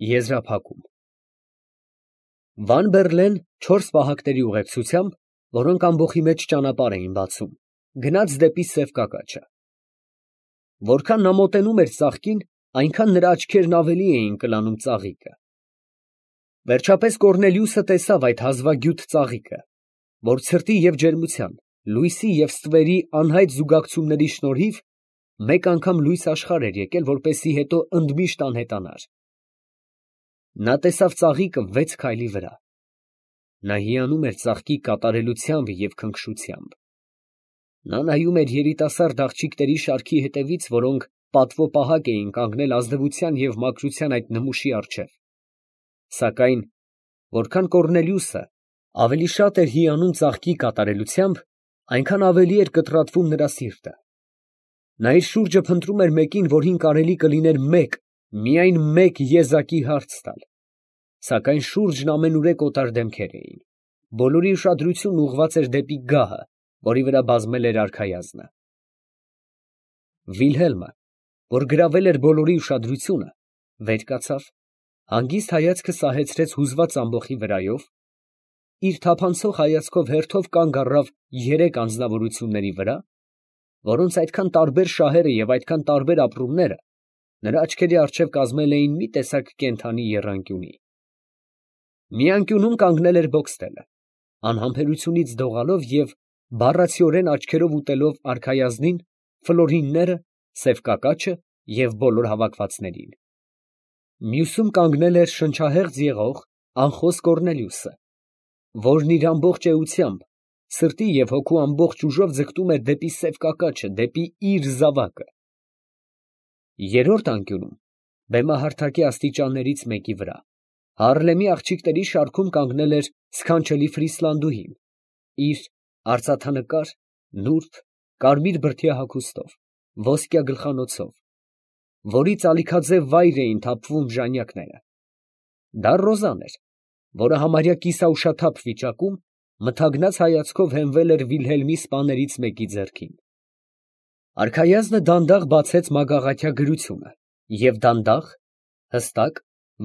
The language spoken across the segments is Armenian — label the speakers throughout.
Speaker 1: Եզրափակում Վան Բերլեն 4 պահակների ուղեկցությամբ, որոնք ամբոխի մեջ ճանապարհ էին բացում, գնաց դեպի Սև Կակաչը։ Որքան նա մոտենում էր ծաղկին, այնքան նրա աչքերն ավելի էին կլանում ծաղիկը։ Վերջապես Կոռնելիուսը տեսավ այդ հազվագյուտ ծաղիկը, որ ցրտի և ջերմության, լույսի և ստվերի անհայտ զուգակցումների շնորհիվ մեկ անգամ լույս աշխարհ էր եկել, որպեսզի հետո ընդմիշտ անհետանար։ Նա տեսավ ծաղիկը 6 քայլի վրա։ Նա հիանում էր ծաղկի կատարելությամբ և քնքշությամբ։ Նա նայում էր երիտասարդ աղջիկների շարքի հետևից, որոնք պատվոպահակ էին կանգնել ազնվության և մաքրության այդ նմուշի առջև։ Սակայն որքան Կոռնելիուսը ավելի շատ էր հիանում ծաղկի կատարելությամբ, այնքան ավելի էր կտրատվում նրա սիրտը։ Նա իր շուրջը փնտրում էր մեկին, որին կարելի կլիներ միայն մեկ եզակի հարց տալ։ Սակայն շուրջն ամենուրեք օտար դեմքեր էին։ Բոլորի ուշադրությունն ուղղված էր դեպի գահը, որի վրա բազմել էր արքայազնը։ Վիլհելմը, որ գրավել էր բոլորի ուշադրությունը, վեր կացավ, հանգիստ հայացքը սահեցրեց հուզված ամբոխի վրայով, իր թափանցող հայացքով հերթով կանգ առավ 3 անձնավորությունների վրա, որոնց այդքան տարբեր շահերը և այդքան տարբեր ապրումները նրա աչքերի առջև կազմել էին մի տեսակ կենդանի եռանկյունի։ Մի անկյունում կանգնել էր Բոքստելը, անհամբերությունից դողալով և բառացիորեն աչքերով ուտելով արքայազնին, Ֆլորինները, Սև Կակաչը և բոլոր հավաքվածներին։ Մյուսում կանգնել էր շնչահեղձ եղող, անխոս Կոռնելիուսը, որն իր ամբողջ էությամբ, սրտի և հոգու ամբողջ ուժով ձգտում էր դեպի Սև Կակաչը, դեպի իր զավակը։ Երրորդ անկյունում, բեմահարթակի աստիճաններից մեկի վրա, Հարլեմի աղջիկների շարքում կանգնել էր սքանչելի Ֆրիսլանդուհին, իր արծաթանկար, նուրբ, կարմիր բրդյա հագուստով, ոսկյա գլխանոցով, որից ալիքաձև վայր էին թափվում ժանյակները։ Դա Ռոզան էր, որը համարյա կիսաուշաթափ վիճակում, մթագնած հայացքով հենվել էր Վիլհելմի սպաներից մեկի ձեռքին։ Արքայազնը դանդաղ բացեց մագաղաթյա գրությունը և դանդաղ, հստակ,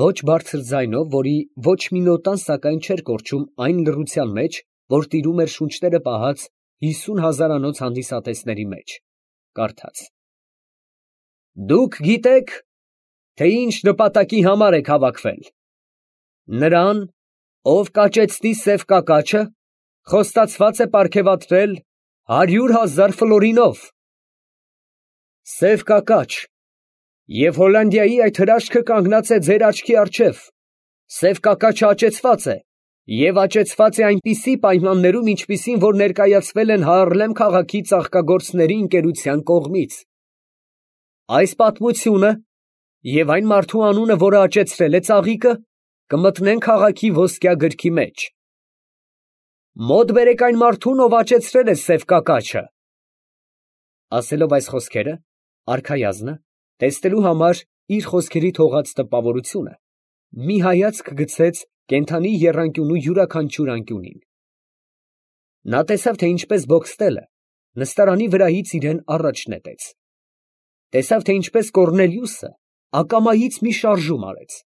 Speaker 1: ոչ բարձր ձայնով, որի ոչ մի նոտան սակայն չէր կորչում այն լռության մեջ, որ տիրում էր շունչները պահած 50 հազարանոց հանդիսատեսների մեջ, կարդաց. «Դուք գիտեք, թե ինչ նպատակի համար եք հավաքվել. նրան, ով կաճեցնի Սև Կակաչը, խոստացված է պարգևատրել 100,000 ֆլորինով։ Սև Կակաչ, և Հոլանդիայի այդ հրաշքը կանգնած է ձեր աչքի առջև. Սև Կակաչը աճեցված է, և աճեցված է այնպիսի պայմաններում, ինչպիսին որ ներկայացվել են Հարլեմ քաղաքի ծաղկագործների ընկերության կողմից։ Այս պատմությունը և այն մարդու անունը, որը աճեցրել է ծաղիկը, կմտնեն քաղաքի ոսկյա գրքի մեջ։ Մոտ բերեք այն մարդուն, ով աճեցրել է Սև Կակաչը»։ Ասելով այս խոսքերը, արքայազնը, տեսնելու համար իր խոսքերի թողած տպավորությունը, մի հայացք գցեց կենդանի եռանկյունու յուրաքանչյուր անկյունին։ Նա տեսավ, թե ինչպես Բոքստելը նստարանի վրայից իրան առաջ նետեց։ Տեսավ, թե ինչպես Կոռնելիուսը ակամայից մի շարժում արեց։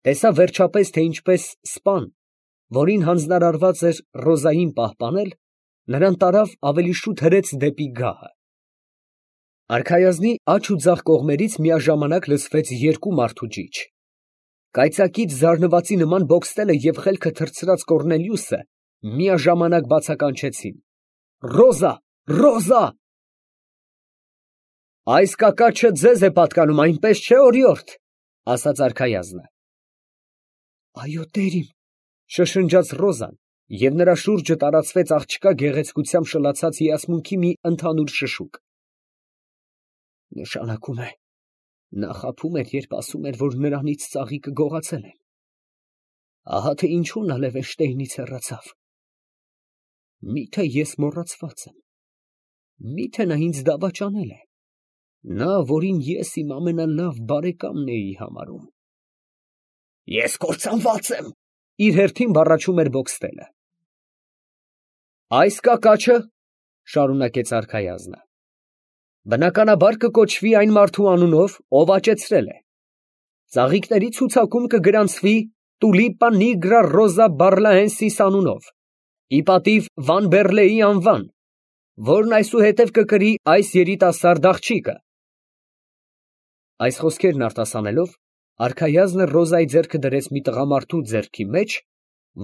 Speaker 1: Տեսավ վերջապես, թե ինչպես սպան, որին հանձնարարված էր Ռոզային պահպանել, նրան տարավ ավելի շուտ հրեց դեպի գահը։ Արքայազնի աջ ու ձախ կողմերից միաժամանակ լսվեց 2 մարդու ճիչ։ Կայծակից զարնվածի նման Բոքստելը և խելքը թռցրած Կոռնելիուսը միաժամանակ բացականչեցին. «Ռոզա, Ռոզա»։ «Այս կակաչը ձեզ է պատկանում, այնպես չէ՞, օրիորդ», ֊ ասաց արքայազնը։ «Այո, տերիմ», ֊ շշնջաց Ռոզան, և նրա շուրջը տարածվեց աղջկա գեղեցկությամբ շլացած հիասմունքի մի ընդհանուր շշուկ։ «Նշանակում է, նա խաբում էր, երբ ասում էր, որ նրանից ծաղիկը գողացել են։ Ահա թե ինչու նա Լևենշտեյնից հեռացավ։ Մի՞թե ես մոռացված եմ։ Մի՞թե նա ինձ դավաճանել է, նա, որին ես իմ ամենալավ բարեկամն էի համարում»։ «Ես կործանված եմ», ֊ իր հերթին բառաչում էր Բոքստելը։ «Այս կակաչը, ֊ շարունակեց արքայազնը, ֊ բնականաբար կկոչվի այն մարդու անունով, ով աճեցրել է։ ծաղիկների ցուցակում կգրանցվի Տուլիպա նիգրա ռոզա բարլահենսիս անունով, ի պատիվ Վան Բերլեի անվան, որն այսուհետև կկրի այս երիտասարդ աղջիկը։ Այս խոսքերն արտասանելով, արքայազնը Ռոզայի ձեռքը դրեց մի տղամարդու ձեռքի մեջ,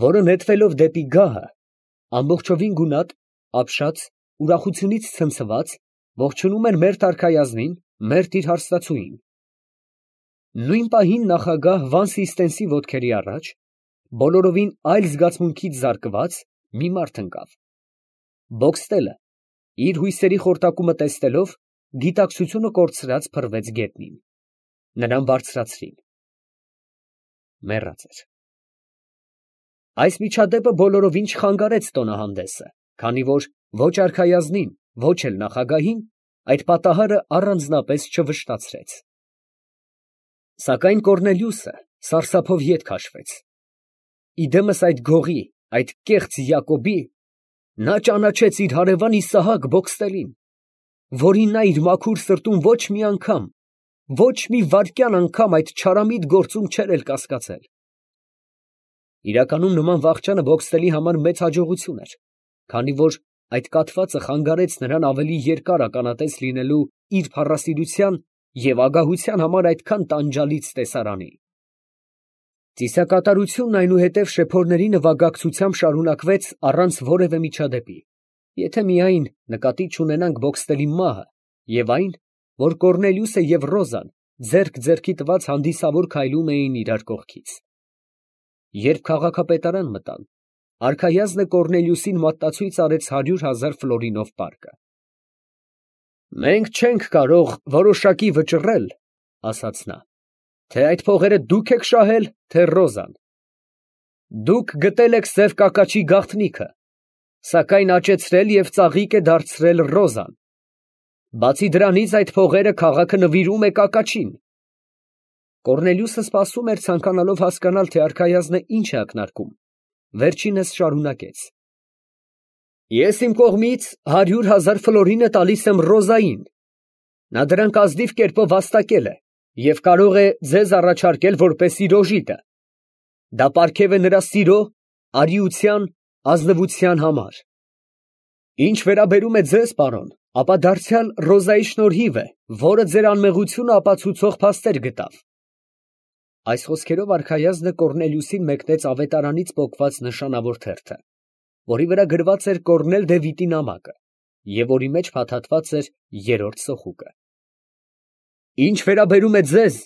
Speaker 1: որը նետվելով դեպի գահը, ամբողջովին գունատ, ապշած, ուրախությունից ցնցված, ողջունում էր մերթ արքայազնին, մերթ իր հարստացուին։ Նույն պահին նախագահ Վան Սիստենսի ոտքերի առաջ, բոլորովին այլ զգացմունքից զարկված, մի մարդ ընկավ։ Բոքստելը, իր հույսերի խորտակումը տեսնելով, գիտակցությունը կորցրած փռվեց գետնին։ Նրան բարձրացրին։ Մեռած էր։ Այս միջադեպը բոլորովին չխանգարեց տոնահանդեսը, քանի որ ոչ արքայազնին, ոչ էլ նախագահին այդ պատահարը առանձնապես չվշտացրեց։ Սակայն Կոռնելիուսը սարսափով ետ քաշվեց։ Իդեմս այդ գողի, այդ կեղծ Յակոբի, նա ճանաչեց իր հարևան Իսահակ Բոքստելին, որին նա իր մաքուր սրտում ոչ մի անգամ, ոչ մի վայրկյան անգամ այդ չարամիտ գործում չէր էլ կասկածել։ Իրականում նման վախճանը Բոքստելի համար մեծ հաջողություն էր, քանի որ այդ կաթվածը խանգարեց նրան ավելի երկար ականատես լինելու իր փառասիրության և ագահության համար այդքան տանջալից տեսարանի։ Ծիսակատարությունն այնուհետև շեփորների նվագակցությամբ շարունակվեց առանց որևէ միջադեպի, եթե միայն նկատի չունենանք Բոքստելի մահը և այն, որ Կոռնելիուսը և Ռոզան ձեռք ձեռքի տված հանդիսավոր քայլում էին իրար կողքից։ Երբ քաղաքապետարան մտան, արքայազնը Կոռնելիուսին մատտացույց արեց 100,000 ֆլորինով պարկը։ «Մենք չենք կարող որոշակի վճռել, ֊ ասաց նա, ֊ թե այդ փողերը դուք եք շահել, թե Ռոզան։ Դուք գտել եք սև կակաչի գաղտնիքը, սակայն աճեցրել և ծաղիկ է դարձրել Ռոզան։ Բացի դրանից այդ փողերը քաղաքը նվիրում է կակաչին»։ Կոռնելիուսը սպասում էր, ցանկանալով հասկանալ, թե արքայազնը ինչ է ակնարկում, վերջինս շարունակեց. «Ես իմ կողմից 100,000 ֆլորինը տալիս եմ Ռոզային. նա դրանք ազնիվ կերպով վաստակել է և կարող է ձեզ առաջարկել որպես իր օժիտը. դա պարգև է նրա սիրո, արիության, ազնվության համար։ Ինչ վերաբերում է ձեզ, պարոն, ապա դարձյալ Ռոզայի շնորհիվ է, որը ձեր անմեղությունը ապացուցող փաստեր գտավ»։ Այս խոսքերով արքայազնը Կոռնելիուսին մեկնեց ավետարանից պոկված նշանավոր թերթը, որի վրա գրված էր Կոռնել Դևիթի նամակը և որի մեջ փաթաթված էր երրորդ սոխուկը։ «Ինչ վերաբերում է ձեզ,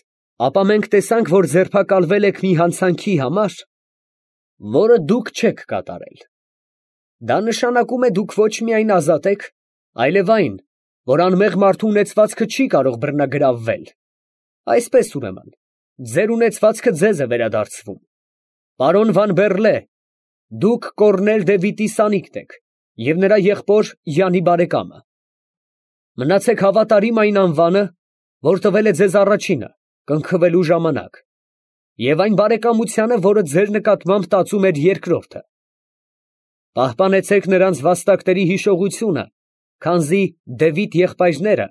Speaker 1: ապա մենք տեսանք, որ ձերբակալվել եք մի հանցանքի համար, որը դուք չեք կատարել։ Դա նշանակում է դուք ոչ միայն ազատ եք, այլև այն, որ անմեղ մարդու ունեցվածքը չի կարող բռնագրավվել։ Այսպես ուրեմն, ձեր ունեցվածքը ձեզ է վերադարձվում։ Պարոն Վան Բերլե, դուք Կոռնել Դևիթի սանիկտ եք և նրա եղբոր Յանի բարեկամը։ Մնացեք հավատարիմ այն անվանը, որ տվել է ձեզ առաջինը, կնքվելու ժամանակ, և այն բարեկամությանը, որը ձեր նկատմամբ տածում էր երկրորդը։ Պահպանեցեք նրանց վաստակների հիշողությունը, քանզի Դևիթ եղբայրները,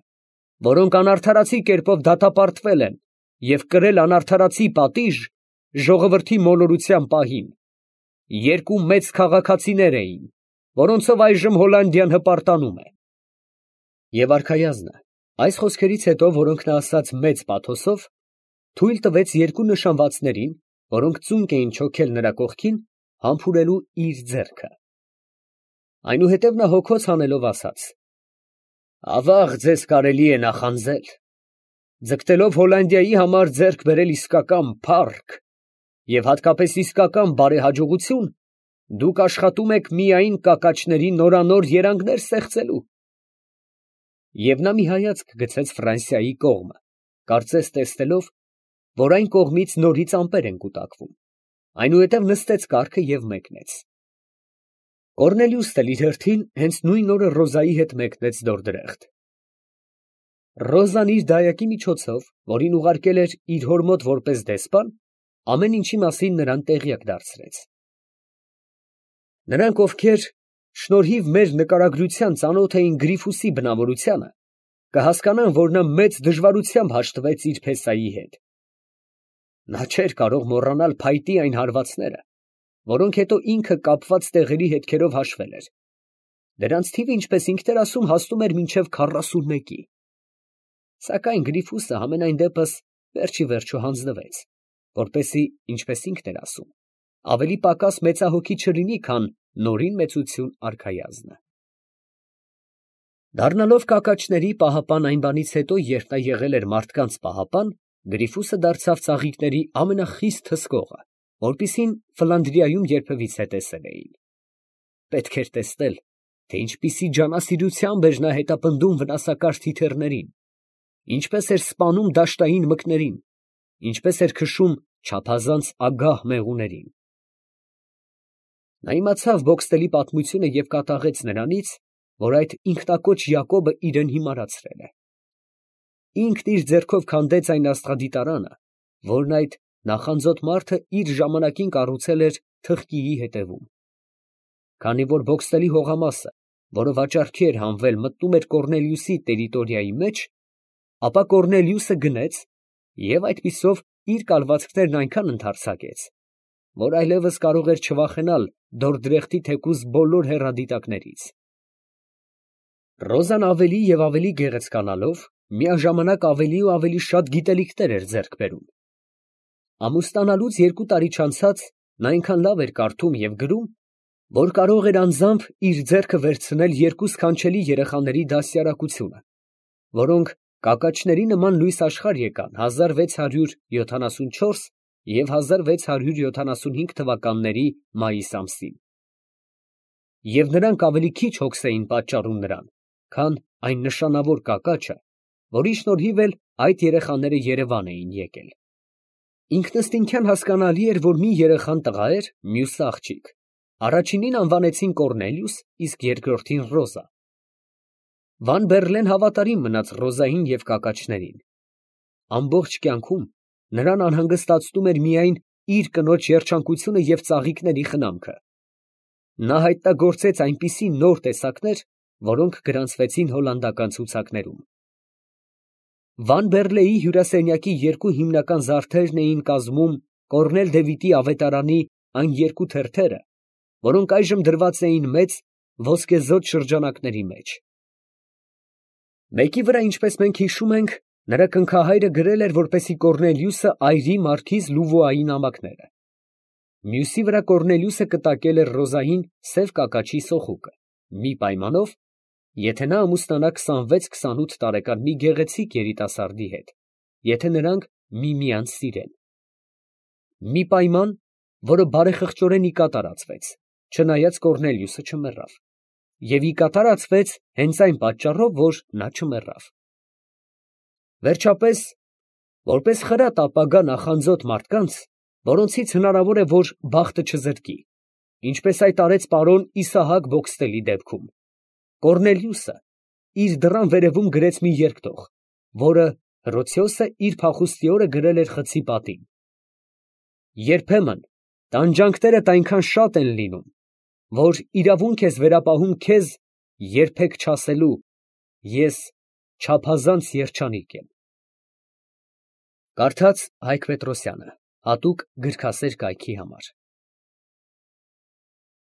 Speaker 1: որոնք անարդարացի կերպով դատապարտվել են և կրել անարդարացի պատիժ, ժողովրդի մոլորության պահին, երկու մեծ քաղաքացիներ էին, որոնցով այժմ Հոլանդիան հպարտանում է»։ Եվ արքայազնը, այս խոսքերից հետո, որոնք նա ասաց մեծ պաթոսով, թույլ տվեց երկու նշանվածներին, որոնք ծունկ էին չոքել նրա կողքին, համբուրելու իր ձեռքը։ Այնուհետև նա հոգոց հանելով ասաց. «Ավաղ ձեզ կարելի է նախանձել. ձգտելով Հոլանդիայի համար ձեռք բերել իսկական փառք և հատկապես իսկական բարեհաջողություն, դուք աշխատում եք միայն կակաչների նորանոր երանգներ ստեղծելու»։ Եվ նա մի հայացք գցեց Ֆրանսիայի կողմը, կարծես տեսնելով, որ այն կողմից նորից ամպեր են կուտակվում, այնուհետև նստեց կառքը և մեկնեց։ Կոռնելիուսն էլ իր հերթին հենց նույն օրը Ռոզայի հետ մեկնեց Դորդրեխտ։ Ռոզան իր դայակի միջոցով, որին ուղարկել էր իր հոր մոտ որպես դեսպան, ամեն ինչի մասին նրան տեղյակ դարձրեց։ Նրանք, ովքեր շնորհիվ մեր նկարագրության ծանոթ էին Գրիֆուսի բնավորությանը, կհասկանան, որ նա մեծ դժվարությամբ հաշտվեց իր փեսայի հետ։ Նա չէր կարող մոռանալ փայտի այն հարվածները, որոնք հետո ինքը կապված տեղերի հետքերով հաշվել էր. դրանց թիվը, ինչպես ինքն էր ասում, հասնում էր մինչև 41-ի։ Սակայն Գրիֆուսը համենայն դեպս վերջիվերջո հանձնվեց, որպեսզի, ինչպես ինքն էր ասում, ավելի պակաս մեծահոգի չլինի, քան նորին մեծություն արքայազնը։ Դառնալով կակաչների պահապան այն բանից հետո, երբ նա եղել էր մարդկանց պահապան, Գրիֆուսը դարձավ ծաղիկների ամենախիստ հսկողը, որպիսին Ֆլանդրիայում երբևիցե տեսել էին։ Պետք էր տեսնել, թե ինչպիսի ջանասիրությամբ էր նա հետապնդում վնասակար թիթեռներին, ինչպես էր սպանում դաշտային մկներին, ինչպես էր քշում չափազանց ագահ մեղուներին։ Նա իմացավ Բոքստելի պատմությունը և կատաղեց նրանից, որ այդ ինքնակոչ Յակոբը իրեն հիմարացրել է։ Ինքն իր ձեռքով քանդեց այն աստղադիտարանը, որն այդ նախանձոտ մարդը իր ժամանակին կառուցել էր թղթիի հետևում։ Քանի որ Բոքստելի հողամասը, որը վաճառքի էր հանվել, մտնում էր Կոռնելիուսի տերիտորիայի մեջ, ապա Կոռնելիուսը գնեց և այդպիսով իր կալվածքներն այնքան ընդարձակեց, որ այլևս կարող էր չվախենալ Դորդրեխտի թեկուզ բոլոր հեռադիտակներից։ Ռոզան ավելի և ավելի գեղեցկանալով, միաժամանակ ավելի ու ավելի շատ գիտելիքներ էր ձեռք բերում։ Ամուսնանալուց 2 տարի չանցած նա այնքան լավ էր կարդում և գրում, որ կարող էր անձամբ իր ձեռքը վերցնել 2 սքանչելի երեխաների դաստիարակությունը, որոնք կակաչների նման լույս աշխարհ եկան 1674 և 1675 թվականների մայիս ամսին։ Եվ նրանք ավելի քիչ հոգս էին պատճառում նրան, քան այն նշանավոր կակաչը, որի շնորհիվ էլ այդ երեխաները Երևան էին եկել։ Ինքնըստինքյան հասկանալի էր, որ մի երեխան տղա էր, մյուսը աղջիկ։ Առաջինին անվանեցին Կոռնելիուս, իսկ երկրորդին Ռոզա։ Վան Բերլեն հավատարիմ մնաց Ռոզային և կակաչներին։ Ամբողջ կյանքում նրան անհանգստացնում էր միայն իր կնոջ երջանկությունը և ծաղիկների խնամքը։ Նա հայտնագործեց այնպիսի նոր տեսակներ, որոնք գրանցվեցին հոլանդական ցուցակներում։ Վան Բերլեի հյուրասենյակի 2 հիմնական զարդերն էին կազմում Կոռնել Դևիթի ավետարանի այն 2 թերթերը, որոնք այժմ դրված էին մեծ ոսկեզօծ շրջանակների մեջ։ Մեկի վրա, ինչպես մենք հիշում ենք, նրա կնքահայրը գրել էր, որպեսզի Կոռնելիուսը այրի մարքիզ Լուվուայի նամակները։ Մյուսի վրա Կոռնելիուսը կտակել էր Ռոզային սև կակաչի սոխուկը, մի պայմանով, եթե նա ամուսնանա 26-28 տարեկան մի գեղեցիկ երիտասարդի հետ, եթե նրանք միմյանց սիրեն։ Մի պայման, որը բարեխղճորեն ի կատարածվեց, չնայած Կոռնելիուսը չմեռավ, և ի կատարածվեց հենց այն պատճառով, որ նա չմեռավ։ Վերջապես, որպես խրատ ապագա նախանձոտ մարդկանց, որոնցից հնարավոր է, որ բախտը չզրկի, ինչպես այդ արեց պարոն Իսահակ Բոքստելի դեպքում, Կոռնելիուսը իր դռան վերևում գրեց մի երկտող, որը Հռոցիոսը իր փախուստի օրը գրել էր խցի պատին. երբեմն տանջանքներդ այնքան շատ են լինում, որ իրավունք ես վերապահում քեզ երբեք չասելու. ես չափազանց երջանիկ եմ։ Կարդաց Հայկ Պետրոսյանը, հատուկ գրքասեր կայքի համար։